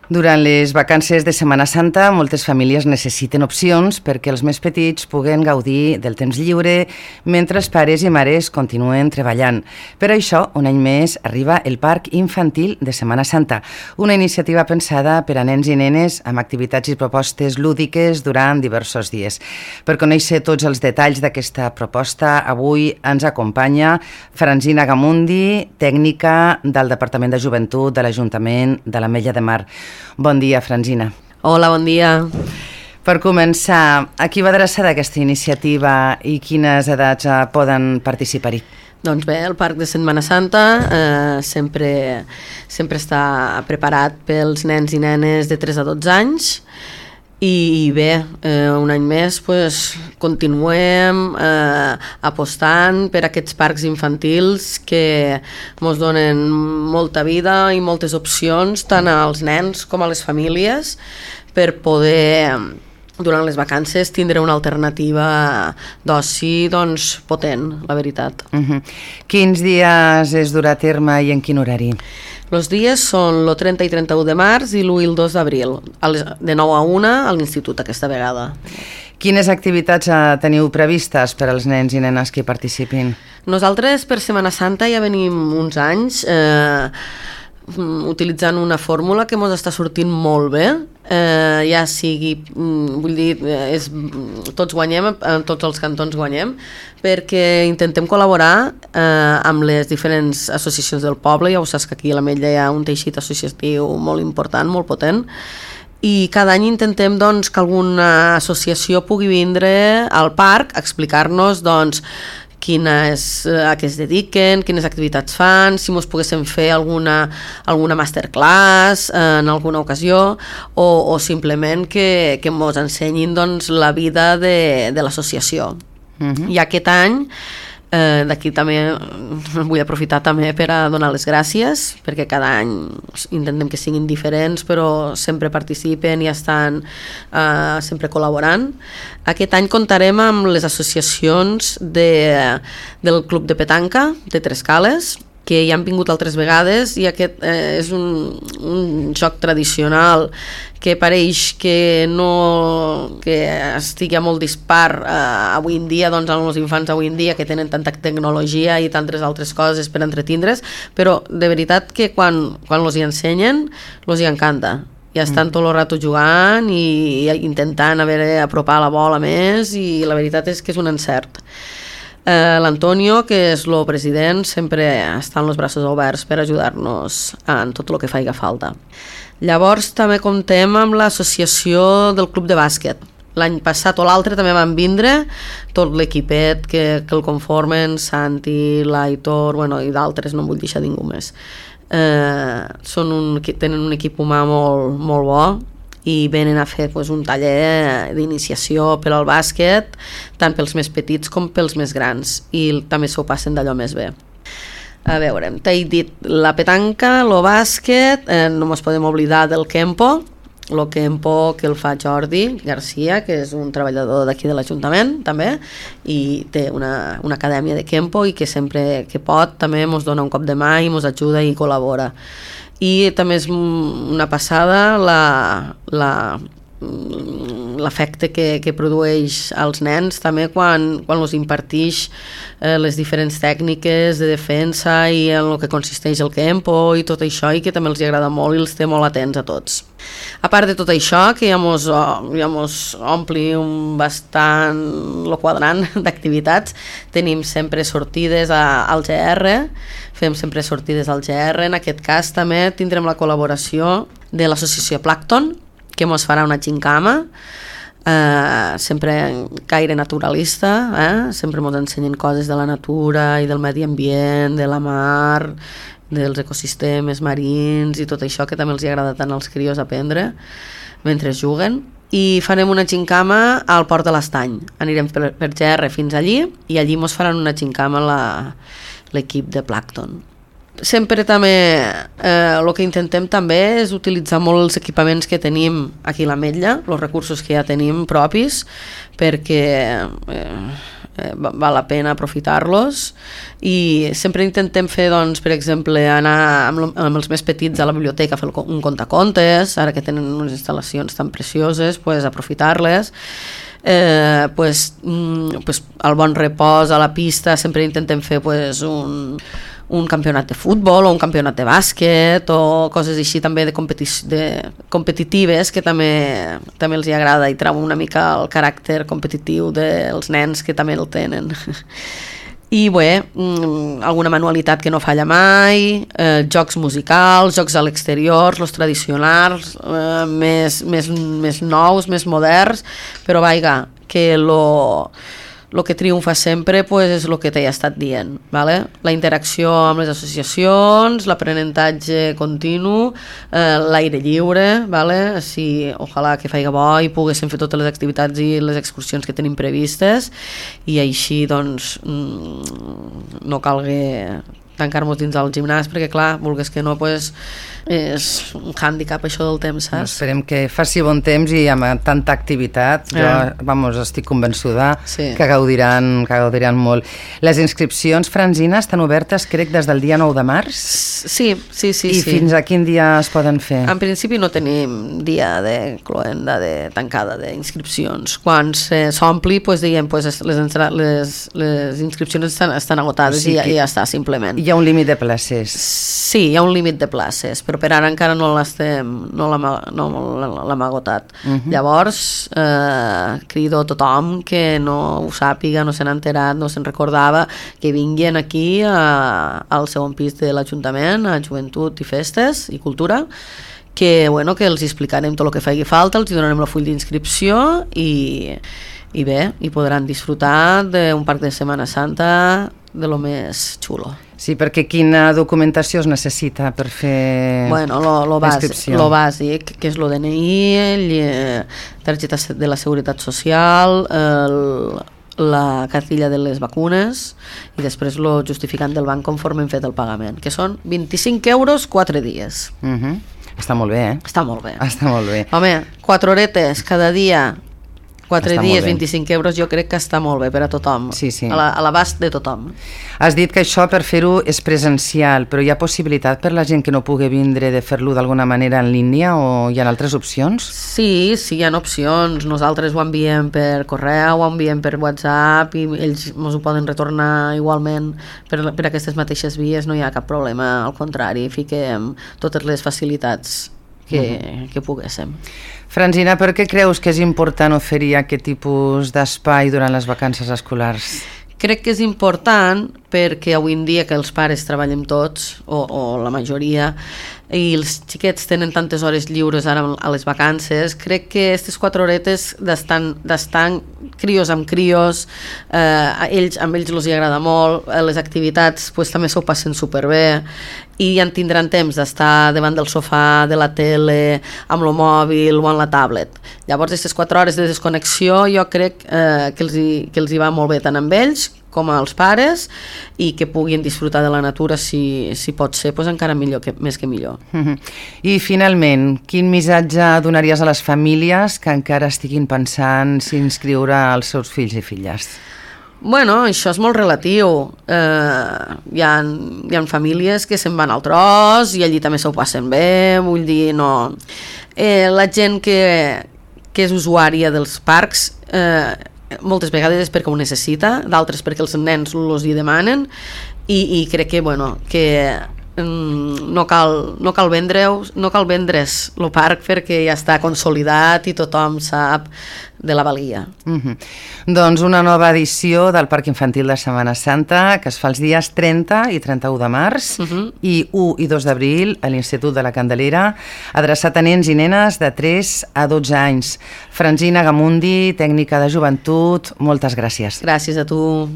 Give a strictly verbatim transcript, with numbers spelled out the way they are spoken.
Durant les vacances de Setmana Santa, moltes famílies necessiten opcions perquè els més petits puguen gaudir del temps lliure mentre els pares i mares continuen treballant. Per això, un any més, arriba el Parc Infantil de Setmana Santa, una iniciativa pensada per a nens i nenes amb activitats i propostes lúdiques durant diversos dies. Per conèixer tots els detalls d'aquesta proposta, avui ens acompanya Franzina Gamundi, tècnica del Departament de Joventut de l'Ajuntament de l'Ametlla de Mar. Bon dia, Franzina. Hola, bon dia. Per començar, a qui va adreçada aquesta iniciativa i quines edats eh, poden participar-hi? Doncs bé, el Parc de Setmana Santa eh, sempre, sempre està preparat pels nens i nenes de tres a dotze anys i bé, eh, un any més pues, continuem eh, apostant per aquests parcs infantils que ens donen molta vida i moltes opcions tant als nens com a les famílies per poder durant les vacances tindre una alternativa d'oci doncs, potent, la veritat. Uh-huh. Quins dies es durà a terme i en quin horari? Els dies són el trenta i trenta-u de març i l'u i el dos d'abril, de nou a una a l'institut aquesta vegada. Quines activitats teniu previstes per als nens i nenes que hi participin? Nosaltres per Setmana Santa ja venim uns anys eh, utilitzant una fórmula que ens està sortint molt bé, eh, ja sigui, vull dir, és, tots guanyem, tots els cantons guanyem, perquè intentem col·laborar eh, amb les diferents associacions del poble. Ja ho saps que aquí a l'Ametlla hi ha un teixit associatiu molt important, molt potent, i cada any intentem doncs, que alguna associació pugui vindre al parc a explicar-nos doncs, quines, a què es dediquen, quines activitats fan, si mos poguéssim fer alguna, alguna masterclass en alguna ocasió o, o simplement que, que mos ensenyin doncs, la vida de, de l'associació. Uh-huh. I aquest any eh, d'aquí també vull aprofitar també per a donar les gràcies perquè cada any intentem que siguin diferents però sempre participen i estan eh, sempre col·laborant. Aquest any comptarem amb les associacions de, del Club de Petanca de Trescales que ja han vingut altres vegades i aquest eh, és un, un joc tradicional que pareix que no que estigui molt dispar eh, avui en dia, doncs amb els infants avui en dia que tenen tanta tecnologia i tantes altres coses per entretindre's, però de veritat que quan, quan els hi ensenyen els hi encanta. Ja estan tot el rato jugant i, i intentant a veure, apropar la bola més i la veritat és que és un encert. Uh, L'Antonio, que és el president, sempre està amb els braços oberts per ajudar-nos en tot el que faci falta. Llavors també comptem amb l'associació del Club de Bàsquet. L'any passat o l'altre també van vindre tot l'equipet que, que el conformen, Santi, l'Aitor, bueno, i d'altres, no em vull deixar ningú més. Uh, són un, tenen un equip humà molt, molt bo i venen a fer pues, un taller d'iniciació per al bàsquet tant pels més petits com pels més grans i també s'ho passen d'allò més bé. A veure, t'he dit la petanca, el bàsquet, eh, no ens podem oblidar del Kempo, el Kempo que el fa Jordi Garcia, que és un treballador d'aquí de l'Ajuntament també, i té una, una acadèmia de Kempo i que sempre que pot també ens dona un cop de mà i ens ajuda i col·labora. I també és una passada la, la, l'efecte que, que produeix als nens també quan, quan els impartix eh, les diferents tècniques de defensa i en el que consisteix el Kempo i tot això i que també els agrada molt i els té molt atents a tots. A part de tot això, que ja mos, ja mos ompli un bastant el quadrant d'activitats, tenim sempre sortides a, al G R, fem sempre sortides al G R, en aquest cas també tindrem la col·laboració de l'associació Plankton, que ens farà una gincama, eh, sempre gaire naturalista, eh? Sempre ens ensenyen coses de la natura i del medi ambient, de la mar, dels ecosistemes marins i tot això que també els agrada tant als crios aprendre mentre juguen. I farem una gincama al Port de l'Estany. Anirem per, per G R fins allí i allí ens faran una gincama la, l'equip de Plankton. Sempre també eh, el que intentem també és utilitzar molt els equipaments que tenim aquí a l'Ametlla, els recursos que ja tenim propis, perquè eh, eh, val la pena aprofitar-los, i sempre intentem fer, doncs, per exemple, anar amb, amb els més petits a la biblioteca a fer un contacontes, ara que tenen unes instal·lacions tan precioses, pues, aprofitar-les. Eh, pues, mm, pues, al bon repòs, a la pista, sempre intentem fer pues, un, un campionat de futbol o un campionat de bàsquet o coses així també de, competi- de competitives, que també, també els hi agrada, i trobo una mica el caràcter competitiu dels nens, que també el tenen. I bé, alguna manualitat que no falla mai, eh, jocs musicals, jocs a l'exterior, els tradicionals, eh, més, més, més nous, més moderns, però vaiga, que lo... el que triomfa sempre pues, és el que t'he estat dient, vale? La interacció amb les associacions, l'aprenentatge continu, eh, l'aire lliure, vale? Si, ojalà que faiga bo i poguéssim fer totes les activitats i les excursions que tenim previstes, i així doncs no calgui tancar-nos dins del gimnàs, perquè clar, vulgues que no, pues, és un hàndicap això del temps, saps? Esperem que faci bon temps i amb tanta activitat, jo eh. vamos, estic convençuda sí. que gaudiran, que gaudiran molt. Les inscripcions, Francina, estan obertes, crec, des del dia nou de març? Sí, sí, sí. I sí. fins a quin dia es poden fer? En principi no tenim dia de cloenda, de tancada d'inscripcions. Quan s'ompli, pues, diguem, pues, les, les, les inscripcions estan, estan agotades, sí, i, ja, i ja està, simplement. Hi ha un límit de places. Sí, hi ha un límit de places, però per ara encara no l'estem, no l'hem no agotat. Uh-huh. Llavors, eh, crido a tothom que no ho sàpiga, no se n'ha enterat, no se'n recordava, que vinguin aquí a, al segon pis de l'Ajuntament, a Joventut i Festes i Cultura, que, bueno, que els explicarem tot el que faci falta, els donarem el full d'inscripció i, i bé, i podran disfrutar d'un parc de Setmana Santa de lo més xulo. Sí, perquè quina documentació es necessita per fer bueno, lo, lo l'inscripció? Lo bàsic, que és l'O D N I, el, targeta de la Seguretat Social, el, la cartilla de les vacunes i després el justificant del banc conforme hem fet el pagament, que són vint-i-cinc euros, quatre dies. Uh-huh. Està molt bé, eh? Està molt bé. Està molt bé. Home, quatre horetes cada dia, quatre està dies, vint-i-cinc euros, jo crec que està molt bé per a tothom, sí, sí. a l'abast de tothom. Has dit que això per fer-ho és presencial, però hi ha possibilitat per la gent que no pugui vindre de fer-lo d'alguna manera en línia, o hi ha altres opcions? Sí, sí, hi ha opcions. Nosaltres ho enviem per correu, ho enviem per WhatsApp i ells ens ho poden retornar igualment per, per aquestes mateixes vies, no hi ha cap problema, al contrari, fiquem totes les facilitats que, uh-huh. que poguéssim. Francina, per què creus que és important oferir aquest tipus d'espai durant les vacances escolars? Crec que és important perquè avui en dia que els pares treballem tots, o, o la majoria, i els xiquets tenen tantes hores lliures ara a les vacances, crec que aquestes quatre horetes d'estar crios amb crios, eh, a ells, amb ells els hi agrada molt, les activitats pues, també s'ho passen superbé, i ja en tindran temps d'estar davant del sofà, de la tele, amb el mòbil o amb la tablet. Llavors, aquestes quatre hores de desconnexió jo crec eh, que, els hi, que els hi va molt bé tant amb ells com als pares, i que puguin disfrutar de la natura, si, si pot ser, pues encara millor, que, més que millor. Uh-huh. I finalment, quin missatge donaries a les famílies que encara estiguin pensant si inscriure els seus fills i filles? Bueno, això és molt relatiu. Eh, hi ha, hi ha famílies que se'n van al tros i allí també s'ho passen bé, vull dir, no... Eh, la gent que, que és usuària dels parcs, eh, moltes vegades és perquè ho necessita, d'altres perquè els nens els hi demanen, i, i crec que, bueno, que no cal, no cal vendre-us, no cal vendre's el parc perquè ja està consolidat i tothom sap de la valia. Uh-huh. Doncs una nova edició del Parc Infantil de Setmana Santa, que es fa els dies trenta i trenta-u de març, uh-huh. i u i dos d'abril a l'Institut de la Candelera, adreçat a nens i nenes de tres a dotze anys. Francina Gamundi, tècnica de joventut, moltes gràcies. Gràcies a tu.